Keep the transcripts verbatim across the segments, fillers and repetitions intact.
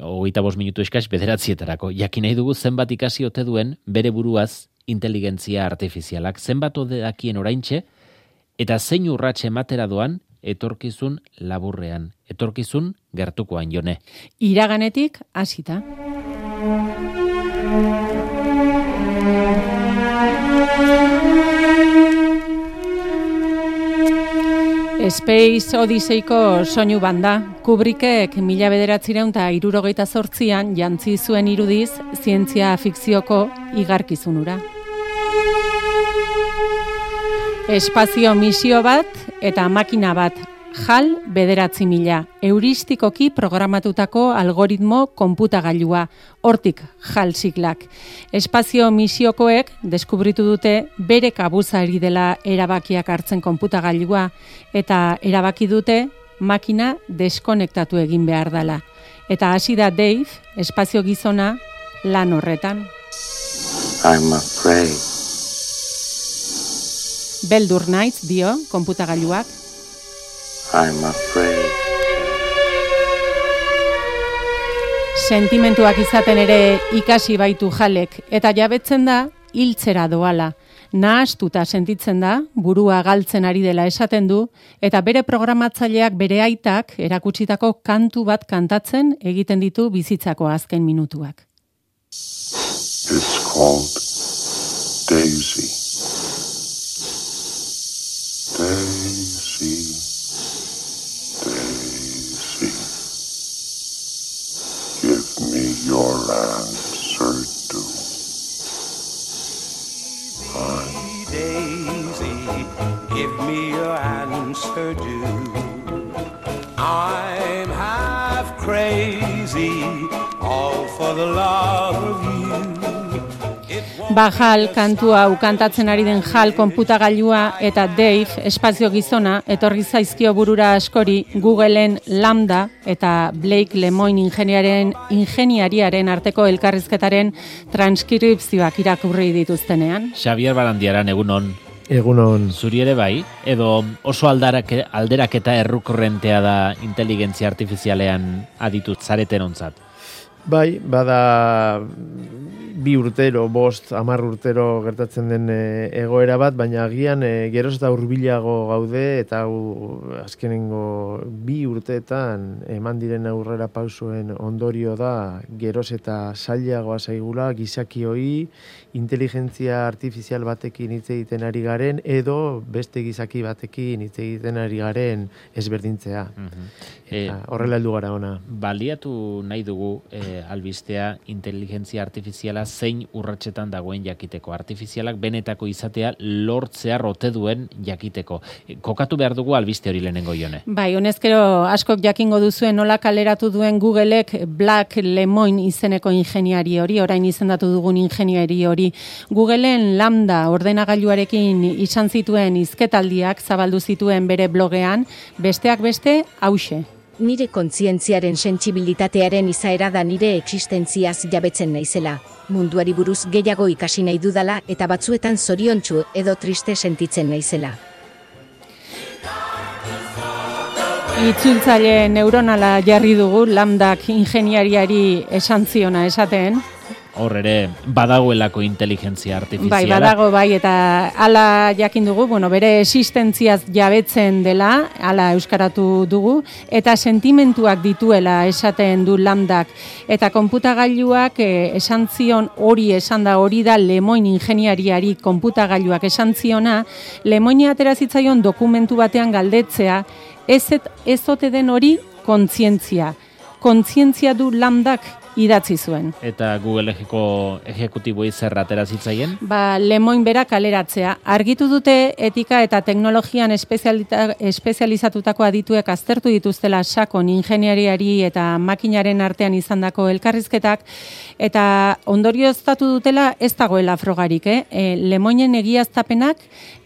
hogeita bost minutu eskas bederatzietarako. Jakin nahi dugu zenbat ikasi ote duen bere buruaz inteligentzia artifizialak, zenbat ode dakien oraintxe, eta zein urratxe ematera doan etorkizun laburrean, etorkizun gertukoan, Jone. Iraganetik hasita. Space Odysseyko soinu banda, Kubrickek mila bederatzireun eta hirurogeita zortzian jantzi zuen irudiz zientzia fikzioko igarkizunura. Espazio misio bat eta makina bat, HAL bederatzi mila, euristikoki programatutako algoritmo konputagailua, hortik HAL siglak. Espazio misiokoek deskubritu dute bere kabuzari dela erabakiak hartzen konputagailua, eta erabaki dute makina deskonektatu egin behar dela. Eta hasi da Dave, espazio gizona, lan horretan. I'm afraid. Beldur naiz, dio, konputagailuak. I'm afraid. Sentimentuak izaten ere ikasi baitu Halek, eta jabetzen da hiltzera doala. Nahastuta sentitzen da, burua galtzen ari dela esaten du, eta bere programatzaileak bere aitak erakutsitako kantu bat kantatzen egiten ditu bizitzako azken minutuak. It's called Daisy. Daisy. Daisy. Give me your answer too. Daisy, give me your answer due. I'm half crazy, all for the love of you. Ba HAL kantu hau kantatzen ari den HAL konputagailua eta Dave espazio gizona etorri zaizkio burura askori Googleen Lambda eta Blake Lemoine ingeniaren ingeniariaren arteko elkarrizketaren transkripzioak irakurri dituztenean. Xavier Barandiaran egunon. Egunon. Zuri ere bai, edo oso aldarake, alderaketa errukorrentea da inteligentzia artifizialean aditu zareten ontzat? Bai, bada bi urtero, bost, hamar urtero gertatzen den e, egoera bat, baina agian e, geroz eta hurbilago gaude, eta hau azkenengo bi urteetan eman diren aurrera pausuen ondorio da, geroz eta zailagoa zaigula gizaki hori inteligentzia artifizial batekin hitz egiten ari garen, edo beste gizaki batekin hitz egiten ari garen ezberdintzea. Uh-huh. Eta horrela heldu gara ona. Baliatu nahi dugu eh, albistea inteligentzia artifiziala zein urratsetan dagoen jakiteko. Artifizialak benetako izatea lortzea rote duen jakiteko. Kokatu behar dugu albiste hori lehenengo, Jone. Bai, honezkero askok jakingo duzuen nola kaleratu duen Googleek Blake Lemoine izeneko ingeniari hori, orain izendatu dugun ingeniari hori. Googleen Lambda ordenagailuarekin izan zituen hizketaldiak zabaldu zituen bere blogean, besteak beste hauxe. Nire kontzientziaren sentsibilitatearen izaera da nire existentziaz jabetzen naizela. Munduari buruz gehiago ikasi nahi dudala eta batzuetan zoriontsu edo triste sentitzen naizela. Itzultzaile neuronala jarri dugu Lambdak ingeniariari esan ziona esaten. Hor ere badagoelako inteligentzia artifiziala. Bai, badago bai, eta hala jakin dugu, bueno, bere existentziaz jabetzen dela, hala euskaratu dugu, eta sentimentuak dituela esaten du Lambdak. Eta konputagailuak eh, esan zion hori esan da, hori da Lemoine ingeniariari konputagailuak esan ziona, Lemoine atera zitzaion dokumentu batean galdetzea, ez, ez ote den hori kontzientzia. Kontzientzia du Lambdak idatzi zuen. Eta Google ejeko ejekutiboei zer atera zitzaien? Ba, Lemoine bera kaleratzea. Argitu dute etika eta teknologian espezializatutako adituek aztertu dituztela sakon ingeniariari eta makinaren artean izandako elkarrizketak, eta ondorioztatu dutela ez dagoela frogarik, eh? E, Lemoinen egiaztapenak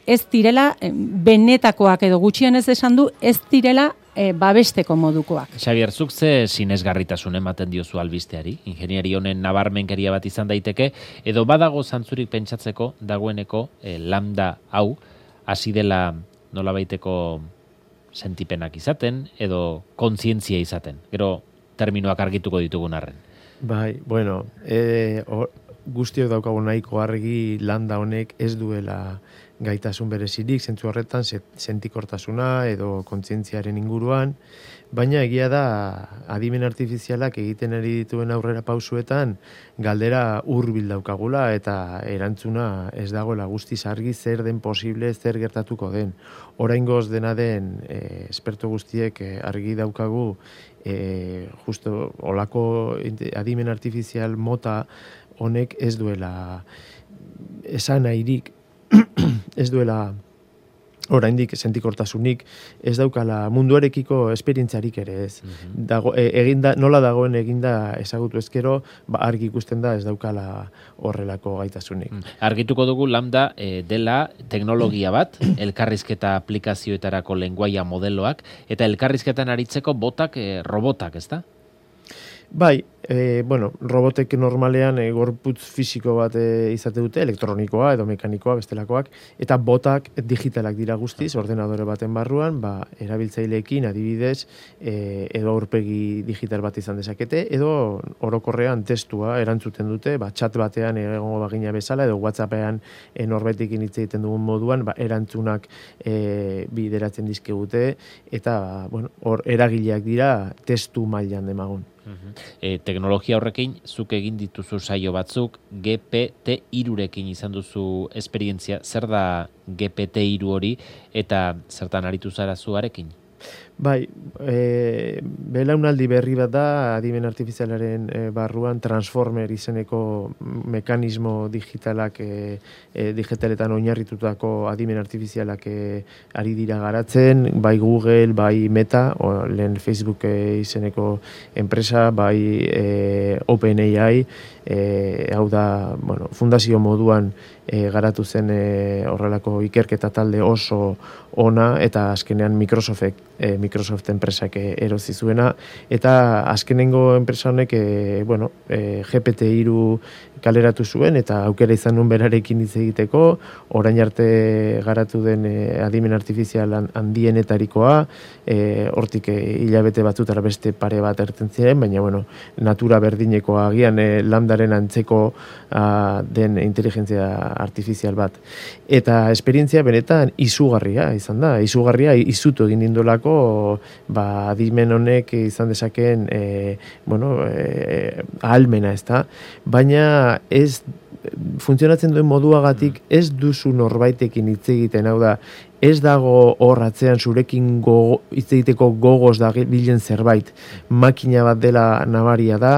ez direla benetakoak edo gutxienez esan du ez direla E, babesteko modukoak. Xavier, zuk ze sinesgarritasun ematen diozu albisteari? Ingeniari honen nabarmenkeria bat izan daiteke, edo badago zantzurik pentsatzeko dagoeneko e, Lambda hau hasi dela nolabaiteko sentipenak izaten, edo kontzientzia izaten. Gero terminoak argituko ditugun arren. Bai, bueno, e, or, guztiok daukagu nahiko argi landa honek ez duela gaitasun berezirik, zentzu horretan sentikortasuna edo kontzientziaren inguruan, baina egia da adimen artifizialak egiten ari dituen aurrera pausuetan galdera hurbil daukagula eta erantzuna ez dagoela guztiz argi zer den posible, zer gertatuko den. Oraingoz dena den e, esperto guztiek e, argi daukagu e, justo olako adimen artifizial mota honek ez duela esan nahirik ez duela oraindik sentikortasunik, ez daukala munduarekiko esperientziarik ere ez. Mm-hmm. Dago, e, eginda, nola dagoen eginda ezagutu ezkero, ba, argi ikusten da ez daukala horrelako gaitasunik. Mm. Argituko dugu Lambda e, dela teknologia bat, elkarrizketa aplikazioetarako lenguaia modeloak, eta elkarrizketan aritzeko botak, e, robotak, ezta? Bai, e, bueno, robotek normalean e, gorputz fisiko bat e, izate dute, elektronikoa edo mekanikoa bestelakoak, eta botak digitalak dira guztiz, ordenadore baten barruan, ba, erabiltzaileekin adibidez, e, edo aurpegi digital bat izan dezakete, edo orokorrean testua erantzuten dute, ba, chat batean egongo bagina bezala, edo WhatsAppean e, norbetekin hitz egiten dugun moduan, ba, erantzunak e, bideratzen dizkigute, eta, bueno, hor eragileak dira testu mailan demagun. E, teknologia horrekin, zuk egin dituzu saio batzuk, G P T hirurekin izan duzu esperientzia, zer da G P T hiru hori, eta zertan aritu zara zuarekin? Bai, e, belaunaldi berri bat da, adimen artifizialaren e, barruan Transformer izeneko mekanismo digitalak, e, e, digitaletan oinarritutako adimen artifizialak e, ari dira garatzen, bai Google, bai Meta, o, lehen Facebook e, izeneko enpresa, bai e, OpenAI, e, hau da, bueno, fundazio moduan e, garatu zen e, horrelako ikerketa talde oso ona, eta azkenean Microsoftek, e, Microsoft enpresak erozi zuena, eta azkenengo enpresa honek e, bueno, e, G P T hiru kaleratu zuen, eta aukera izan nuen berarekin hitz egiteko, orain arte garatu den e, adimen artifizial handienetarikoa, e, hortik e, hilabete batzutara beste pare bat erten ziren, baina bueno, natura berdinekoa agian e, Lambdaren antzeko a, den inteligentzia artifizial bat. Eta esperientzia benetan izugarria izan da, izugarria izutu egin nindolako, ba, adimen honek izan dezakeen e, bueno, e, ahalmena, ez da, baina ez funtzionatzen duen moduagatik ez duzu norbaitekin hitz egiten, hau da, ez dago hor atzean zurekin gogo, hitz egiteko gogoz da bilen zerbait, makina bat dela nabaria da,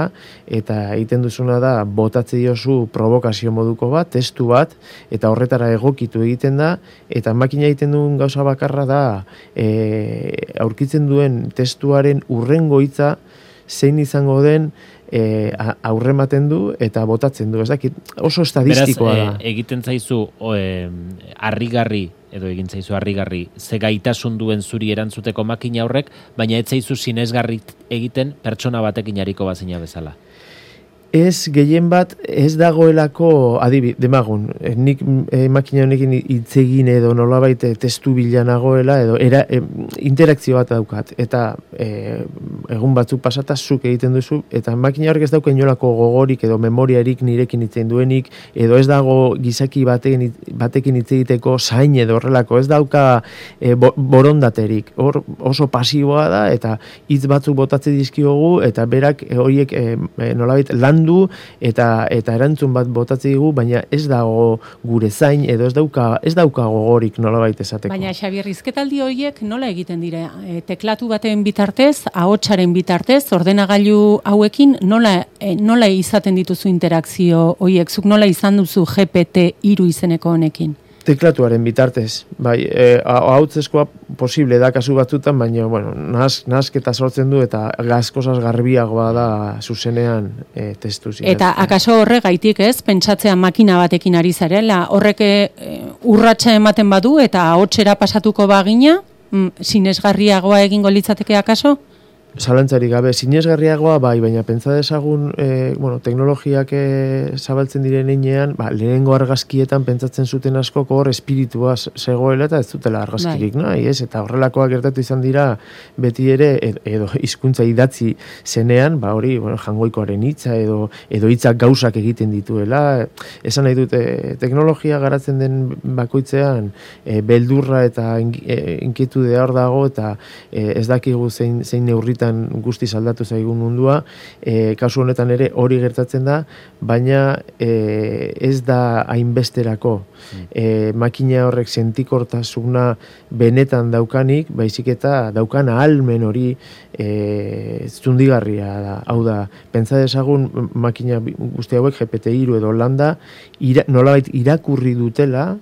eta egiten duzuna da, botatze diozu provokazio moduko bat, testu bat, eta horretara egokitu egiten da, eta makina egiten duen gauza bakarra da, e, aurkitzen duen testuaren urrengo hitza zein izango den, E, aurrematen du eta botatzen du, ez dakit, oso estadistikoa da. Beraz, e, egiten zaizu o, e, harrigarri, edo egin zaizu harrigarri, ze gaitasun duen zuri erantzuteko makina horrek, baina ez zaizu sinesgarri egiten pertsona batekin ariko bazina bezala. Ez gehien bat, ez dagoelako, adibi, demagun, nik e, makina honekin hitz egin edo nolabait testu bila nagoela, edo era, e, interakzio bat daukat, eta e, egun batzuk pasata zuk egiten duzu, eta makina horrek ez dauka inolako gogorik edo memoriarik nirekin hitz duenik, edo ez dago gizaki batekin, batekin hitz egiteko zain edo horrelako, ez dauka e, bo, borondaterik, hor oso pasiboa da, eta hitz batzuk botatze dizkiogu, eta berak e, horiek e, nolabait lan du eta eta erantzun bat botatze digu, baina ez dago gure zain edo ez dauka ez dauka gogorik nolabait esateko. Baina Xabier, hizketaldi horiek nola egiten dira? E, teklatu baten bitartez, ahotsaren bitartez, ordenagailu hauekin nola e, nola izaten dituzu interakzio horiek? Zuk nola izan duzu G P T hiru izeneko honekin? Teklatuaren bitartez, bai, e, ahotzeskoa posible da kasu batzutan, baina, bueno, nahaz, nahazketa sortzen du eta gazkozaz garbiagoa da zuzenean e, testu zinez. Eta akaso horregaitik ez, pentsatzea makina batekin ari zarela, horrek e, urratsa ematen badu eta ahotsera pasatuko bagina, mm, sinesgarriagoa egingo litzateke akaso? Zalantzari gabe, sinesgarriagoa bai, baina pentsa dezagun, e, bueno, teknologiak e, zabaltzen diren einean, ba, lehenengo argazkietan pentsatzen zuten askok hor espiritua zegoela eta ez zutela argazkirik, nahi, ez? Eta horrelakoak gertatu izan dira beti ere, edo, edo hizkuntza idatzi zenean, ba hori, bueno, jangoikoaren hitza edo edo hitzak gauzak egiten dituela, esan nahi dute, teknologia garatzen den bakoitzean, e, beldurra eta inkitudea hor dago, eta e, ez dakigu zein, zein neurritan guztiz aldatu zaigun mundua, e, kasu honetan ere hori gertatzen da, baina e, ez da hainbesterako. E, makina horrek sentikortasuna benetan daukanik, baizik eta daukan ahalmen hori e, zundigarria da. Hau da, pentsa dezagun makina guzti hauek G P T hiru edo lambda ira, nolabait irakurri dutela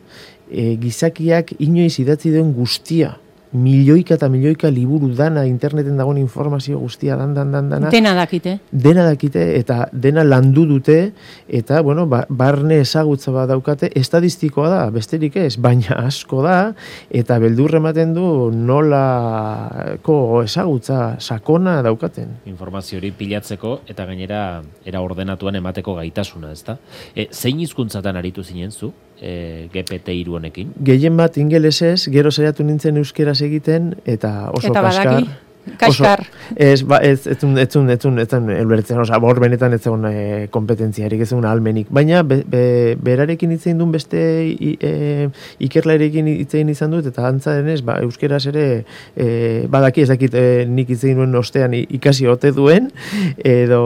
e, gizakiak inoiz idatzi duen guztia. Milioika eta milioika liburu dana, interneten dagoen informazio guztia, dan, dan, dan, dana. Dena dakite. Dena dakite, eta dena landu dute, eta, bueno, ba, barne ezagutza bat daukate, estadistikoa da, besterik ez, baina asko da, eta beldurre ematen du nolako ezagutza sakona daukaten. Informazio hori pilatzeko, eta gainera, era ordenatuan emateko gaitasuna, ezta? E, zein hizkuntzatan aritu zinen zu? E, G P T hiru honekin? Gehien bat ingelesez, gero saiatu nintzen euskeraz egiten, eta oso eta kaskar. badaki, kaskar. Oso, ez, ba, ez, etzun, etzun, etzun, etzun, elbertzen, oza, hor benetan ez zegoen e, kompetentziarik, ez zegoen almenik. Baina, be, be, berarekin hitzein duen beste i, e, ikerlarekin hitzein izan dut, eta antza denez, ba, euskeraz ere, e, badaki ez dakit e, nik hitzein duen ostean ikasi ote duen, edo,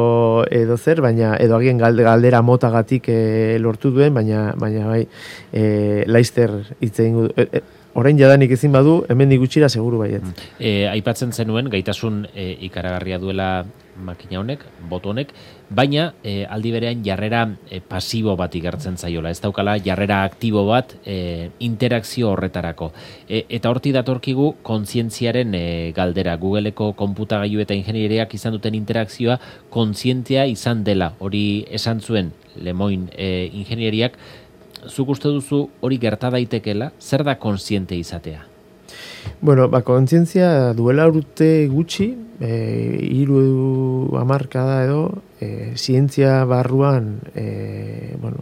edo zer, baina, edo agien galdera motagatik e, lortu duen, baina, baina bai, e, laizter hitzein du. E, e, Orain jadanik ezin badu, hemendik gutxira seguru baiet. E, aipatzen zenuen, gaitasun e, ikaragarria duela makina honek, boto honek, baina e, aldi berean jarrera e, pasibo bat igartzen zaiola. Ez daukala jarrera aktibo bat e, interakzio horretarako. E, eta horti datorkigu kontzientziaren e, galdera. Googleeko konputagailu eta ingenieriak izan duten interakzioa kontzientzia izan dela. Hori esan zuen Lemoin e, ingenieriak. Zuk uste duzu hori gerta daitekela, zer da kontziente izatea? Bueno, ba, kontzientzia duela urte gutxi, e, hiru hamarkada edo, e, zientzia barruan e, bueno,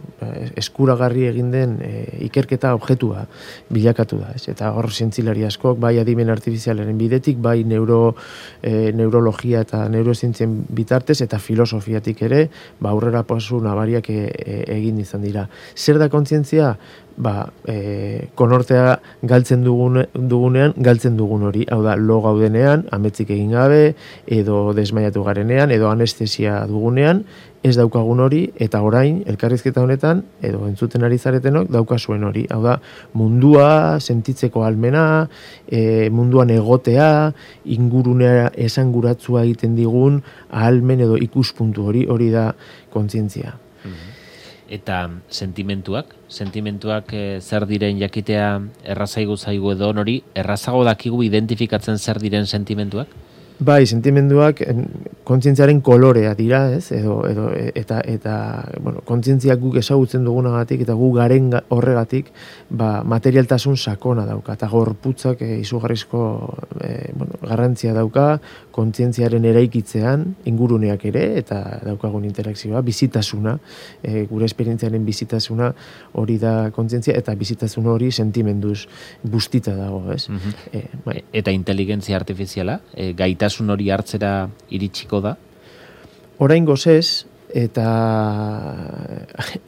eskuragarri egin den e, ikerketa objetua bilakatu da. Ez? Eta hor zientzilari askok, bai adimen artifizialaren bidetik, bai neuro, e, neurologia eta neurozientzien bitartez, eta filosofiatik ere, ba, aurrera pasu nabariak e, e, egin izan dira. Zer da kontzientzia? Ba, e, konortea galtzen dugun, dugunean, galtzen dugun hori. Hau da, lo gaudenean, ametzik egin gabe, edo desmaiatu garenean, edo anestesia dugunean, ez daukagun hori, eta orain, elkarrizketa honetan, edo entzuten ari zaretenok, daukazuen hori. Hau da, mundua, sentitzeko almena, e, munduan egotea, ingurunea esanguratzua egiten digun, ahalmen edo ikuspuntu hori, hori da kontzientzia. Eta sentimentuak, sentimentuak e, zer diren jakitea errazaigu zaigu edo hori, errazago dakigu identifikatzen zer diren sentimentuak? Bai, sentimenduak kontzientziaren kolorea dira, ez? Edo, edo, eta, eta bueno, kontzientziak guk ezagutzen dugunagatik eta gu garen horregatik, ba, materialtasun sakona dauka, eta gorputzak e, izugarrizko e, bueno, garrantzia dauka, kontzientziaren eraikitzean, inguruneak ere, eta daukagun interakzioa, bizitasuna, e, gure esperientziaren bizitasuna hori da kontzientzia, eta bizitasun hori sentimenduz bustita dago, ez? Mm-hmm. e, bai. Eta inteligentzia artifiziala, e, gaita Gaitasun hori hartzera iritsiko da? Oraingoz ez, eta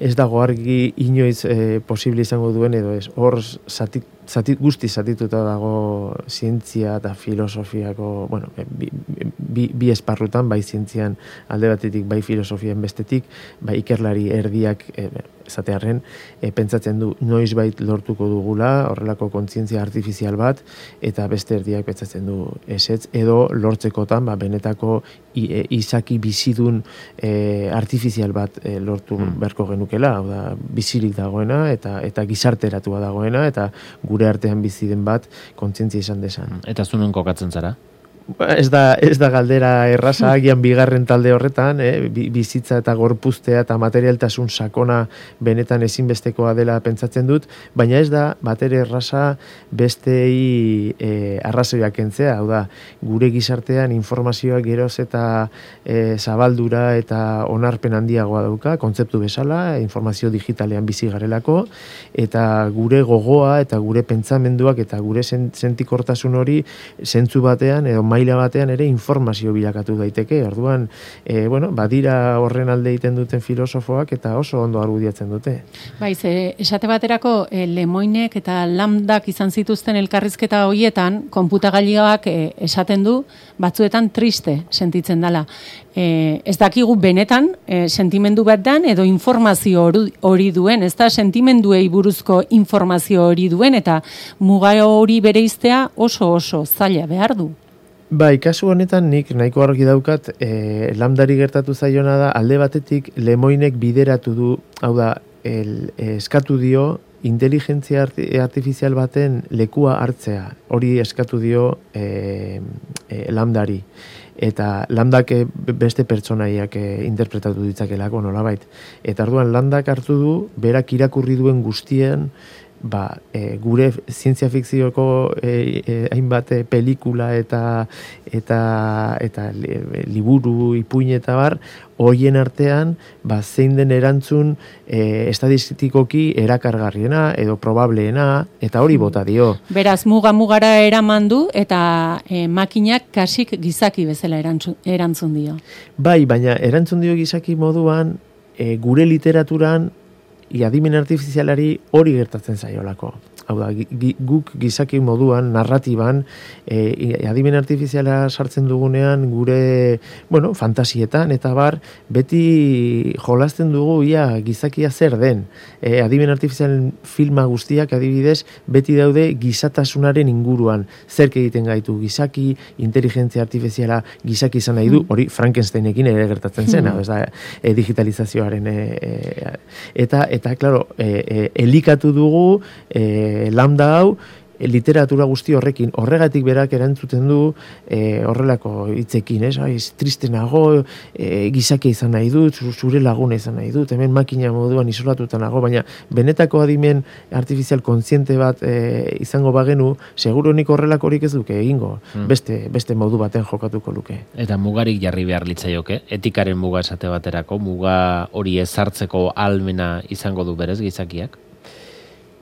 ez dago argi inoiz e, posible izango duen edo ez. Hor zati, zati, guzti zatituta dago zientzia eta filosofiako, bueno, bi, bi, bi esparrutan, bai zientzian alde batetik, bai filosofian bestetik, bai ikerlari erdiak e, zatearren, e, pentsatzen du noiz bait lortuko dugula, horrelako kontzientzia artifizial bat, eta beste erdiak pentsatzen du ezetz, edo lortzekotan, ba, benetako i, e, izaki bizidun e, artifizial bat e, lortu hmm. beharko genukela, hau da, bizirik dagoena, eta eta gizarteratua dagoena, eta gure artean bizi den bat kontzientzia izan desan. Eta zunun kokatzen zara? Ez da, ez da galdera erraza, agian bigarren talde horretan, eh, bizitza eta gorpuztea eta materialtasun sakona benetan ezinbestekoa dela pentsatzen dut, baina ez da batere erraza bestei eh, arrazoiak kentzea, hau da, gure gizartean informazioa geroz eta eh, zabaldura eta onarpen handiagoa dauka, kontzeptu bezala, informazio digitalean bizi garelako, eta gure gogoa eta gure pentsamenduak eta gure sentikortasun hori zentzu batean edo maila batean ere informazio bilakatu daiteke. Orduan, e, bueno, badira horren alde egiten duten filosofoak eta oso ondo argudiatzen dute. Bai, ze, esate baterako e, Lemoinek eta Lambdak izan zituzten elkarrizketa horietan, konputagailuak e, esaten du batzuetan triste sentitzen dela. E, ez dakigu benetan e, sentimendu bat dan edo informazio hori duen, ez da sentimenduei buruzko informazio hori duen eta muga hori bereiztea oso oso zaila behar du. Bai, kasu honetan nik nahiko argi daukat, e, Lambdari gertatu zaiona da, alde batetik Lemoinek bideratu du, hau da, el, eskatu dio inteligentzia artifizial baten lekua hartzea, hori eskatu dio e, e, Lambdari. Eta Lambdak beste pertsonaiak interpretatu ditzakelako nolabait. Eta orduan Lambdak hartu du, berak irakurri duen guztien, ba, e, gure zientzia fikzioko e, e, hainbat pelikula eta eta eta liburu, ipuin eta bar, hoien artean, ba, zein den erantzun e, estadistikoki erakargarriena edo probableena, eta hori bota dio. Beraz, muga mugara eraman du eta e, makinak kasik gizaki bezala erantzun, erantzun dio. Bai, baina erantzun dio gizaki moduan, e, gure literaturan I adimen artifizialari hori gertatzen zaiolako. Hau da, guk gizaki moduan, narratiban, e, adimen artifiziala sartzen dugunean gure, bueno, fantasietan, eta bar, beti jolasten dugu ia gizakia zer den. E, adimen artifizialen filma guztiak adibidez, beti daude gizatasunaren inguruan. Zerk egiten gaitu gizaki, inteligentzia artifiziala gizaki izan nahi du, hori Frankensteinekin ere gertatzen zen, hau, ez da, e, digitalizazioaren, e, e, eta, eta, klaro, e, e, elikatu dugu, e, Lambda hau, literatura guzti horrekin, horregatik berak erantzuten du e, horrelako hitzekin, ez? Ai, triste nago, e, gizakia izan nahi dut, zure laguna izan nahi dut, hemen makina moduan isolatuta nago, baina benetako adimen artifizial kontziente bat e, izango bagenu, seguro nik horrelakorik ez duke egingo, hmm. beste, beste modu baten jokatuko luke. Eta mugarik jarri behar litzaioke, etikaren muga esate baterako, muga hori ezartzeko almena izango du berez gizakiak?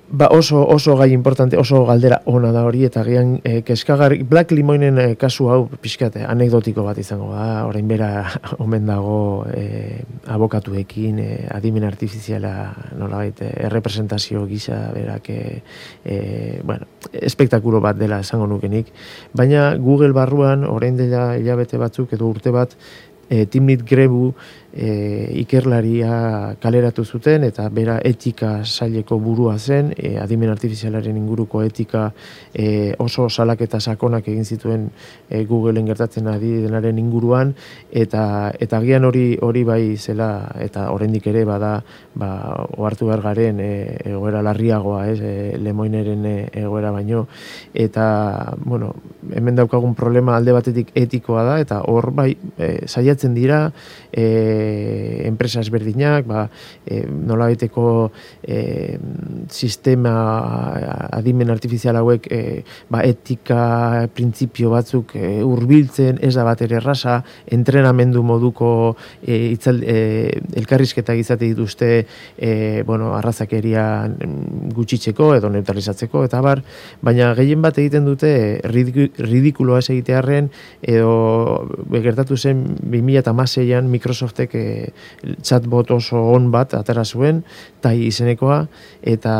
Ba oso, oso gai importante, oso galdera ona da hori, eta gian e, keskagarri, Black Limoinen e, kasu hau pixkate, anekdotiko bat izango da, orain bera omen dago e, abokatuekin, e, adimen artifiziala nolabait, e, errepresentazio gisa berak, e, e, bueno, espektakulo bat dela esango nukenik, baina Google barruan, orain dela hilabete batzuk edo urte bat, e, Timnit Grebu e, ikerlaria kaleratu zuten eta bera etika saileko burua zen, e, adimen artifizialaren inguruko etika e, oso salaketa sakonak egin zituen e, Googleen gertatzen ari denaren inguruan, eta eta agian hori hori bai zela, eta oraindik ere bada ba ohartu behar garen e, egoera larriagoa, ez, e, Lemoineren e, egoera baino, eta bueno, hemen daukagun problema alde batetik etikoa da, eta hor bai e, saiatzen dira e, enpresa ezberdinak, ba, e, nolabaiteko e, sistema adimen artifizial hauek e, ba, etika printzipio batzuk e, hurbiltzen, ez da bat ere erraza, entrenamendu moduko e, itzal, e, elkarrizketak izate dituzte e, bueno, arrazakeria gutxitzeko edo neutralizatzeko, eta bar, baina gehien bat egiten dute ridikuloa ez egitearren, edo gertatu zen bi mila hamaseian Microsoftek e, chatbot oso on bat atera zuen, tai izenekoa, eta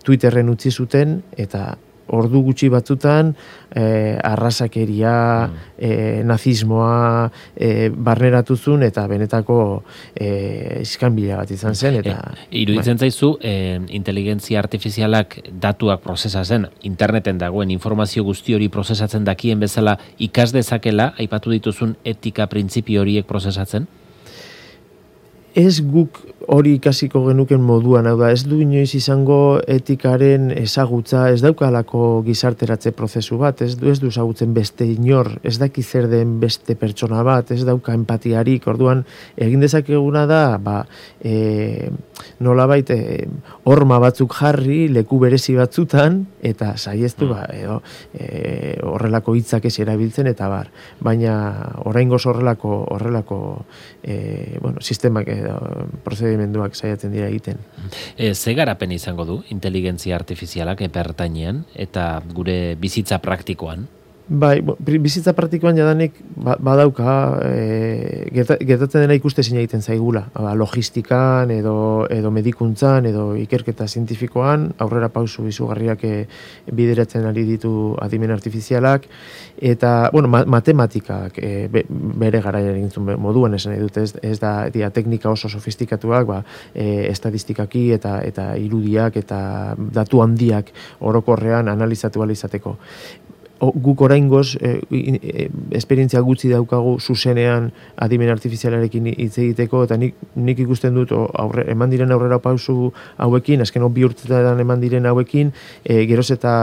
Twitterren utzi zuten, eta ordu gutxi batzutan e, arrazakeria, e, nazismoa e, barneratu zuen, eta benetako e, iskanbila bat izan zen. Eta, e, iruditzen bai. Zaizu, e, inteligentzia artifizialak datuak prozesatzen, interneten dagoen informazio guzti hori prozesatzen dakien bezala ikas dezakela, aipatu dituzun etika printzipio horiek prozesatzen? ez guk hori ikasiko genuken moduan, hau da, ez du inoiz izango etikaren ezagutza, ez daukalako gizarteratze prozesu bat, ez du ez du ezagutzen beste inor, ez daki zer den beste pertsona bat, ez dauka empatiarik, orduan egin dezakeguna da, ba, e, nolabait e, horma batzuk jarri, leku berezi batzutan, eta saiestu, ba, edo, e, horrelako hitzak ez erabiltzen, eta bar, baina oraingoz horrelako, horrelako e, bueno, sistemak edo prozedimenduak saiatzen dira egiten. E, ze garapen izango du inteligentzia artifizialak epertainean eta gure bizitza praktikoan? Bai, bizitza praktikoan jadanik badauka, e, gertatzen dena ikuste zina egiten zaigula. Ba, logistikan, edo, edo medikuntzan, edo ikerketa zientifikoan, aurrera pausu izugarriak e, bideratzen ari ditu adimen artifizialak, eta, bueno, ma, matematikak e, be, bere garaian egintzun moduan esan nahi dut, ez, ez da dia, teknika oso sofistikatuak, ba, e, estadistikaki eta, eta irudiak eta datu handiak orokorrean analizatu alizateko. Guk oraingoz e, e, esperientzia gutxi daukagu zuzenean adimen artifizialarekin hitz egiteko, eta nik, nik ikusten dut aurre, eman diren aurrera pausu hauekin, azken bi urtetan eman diren hauekin, e, geroz eta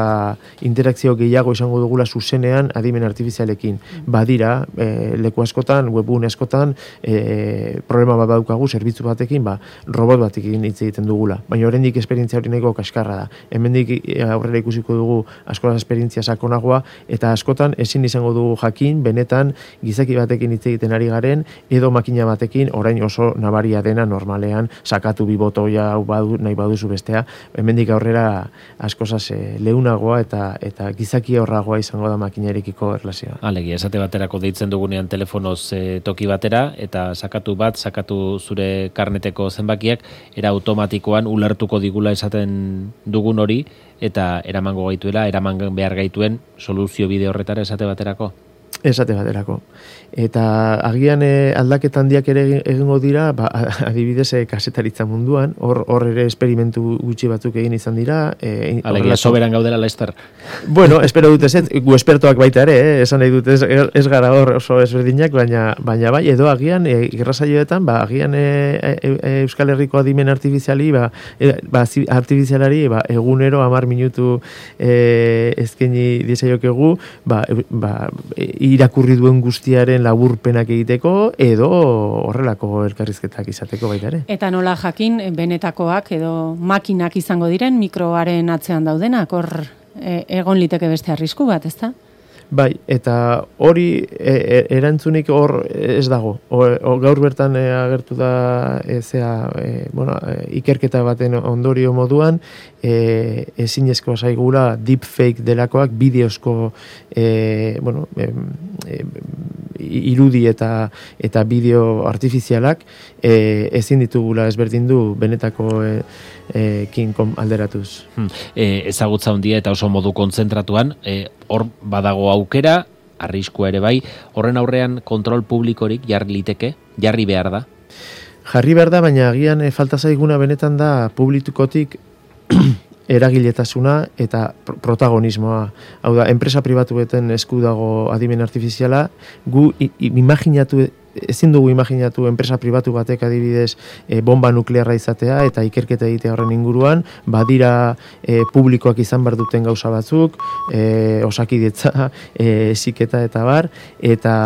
interakzio gehiago izango dugula zuzenean adimen artifizialekin. Badira, e, leku askotan, webgune askotan, e, problema bat daukagu, zerbitzu batekin, ba, robot batekin hitz egiten dugula. Baina oraindik esperientzia hori nahiko kaskarra da. Hemendik aurrera ikusiko dugu askola esperientzia sakonagoa, eta askotan ezin izango dugu jakin, benetan gizaki batekin hitz egiten ari garen, edo makina batekin, orain oso nabaria dena normalean, sakatu bi botoia badu, nahi baduzu bestea, hemendik aurrera askozaz e, leunagoa eta eta gizaki horragoa izango da makinarekiko erlazioa. Alegi, esate baterako deitzen dugunean telefonoz e, toki batera, eta sakatu bat, sakatu zure karneteko zenbakiak, era automatikoan ulertuko digula esaten dugun hori, eta eramango gaituela, eraman behar gaituen soluzio bide horretara esate baterako? Esate baterako. Eta agian e, aldaketan handiak ere egingo dira, ba, adibidez e, kasetaritza munduan, hor hor ere esperimentu gutxi batzuk egin izan dira. E, Alegia, soberan gaudela Laster. Bueno, espero dut ez, gu espertoak baita ere, eh? Esan nahi dut ez, ez gara hor oso ezberdinak, baina, baina bai, edo agian, e, irrasaioetan, ba, agian e, e, e, Euskal Herriko adimen artifiziali, ba, e, ba, artifizialari, ba, egunero hamar minutu e, ezkeni diezaiokegu, ba, e, ba, e, irakurri duen guztiaren laburpenak egiteko, edo horrelako elkarrizketak izateko baita ere. Eta nola jakin, benetakoak edo makinak izango diren, mikroaren atzean daudenak, hor e, egon liteke beste arrisku bat, ezta? Bai, eta hori e, e, erantzunik hor ez dago. O, o, gaur bertan e, agertu da e, zea, e, bueno, e, ikerketa baten ondorio moduan, e, ezinezkoa zaigula deepfake delakoak, bideozko e, bueno, e, e, irudi eta eta bideo artifizialak e, ezin ditugula ezberdin du benetako e, e, kin alderatuz. Hmm. E, ezagutza handia eta oso modu kontzentratuan, e, hor badago aukera, arriskua ere bai, horren aurrean kontrol publikorik jarri liteke, jarri behar da? Jarri behar da, baina agian e, falta zaiguna benetan da publikotik eragiletasuna eta protagonismoa. Hau da, enpresa pribatueten esku dago adimen artifiziala, gu imaginatu, ezin dugu imaginatu enpresa pribatu batek adibidez e, bomba nuklearra izatea eta ikerketa egitea horren inguruan, badira e, publikoak izan behar duten gauza batzuk, e, osakidetza, e, ziketa eta bar, eta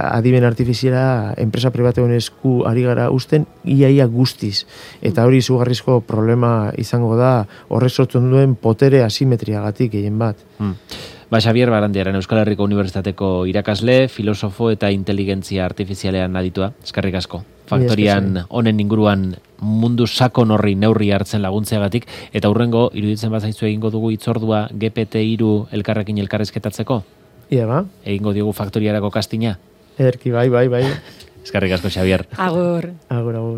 adimen artifiziala enpresa pribatuen esku ari gara usten iaia guztiz. Eta hori izugarrizko problema izango da horrek sortzen duen potere asimetriagatik gehien bat. Hmm. Ba, Xabier Barandiaren Euskal Herriko Unibertsitateko irakasle, filosofo eta inteligentzia artifizialean aditua. Eskerrik asko. Faktorian honen inguruan mundu sakon horri neurri hartzen laguntzeagatik, eta hurrengo iruditzen bazaizu egingo dugu hitzordua G P T hiru elkarrekin elkarrezketatzeko? Ia ba. Egingo diogu faktoriarako kastina? Erki, bai, bai, bai. Eskerrik asko, Xabier. Agur. Agur, agur.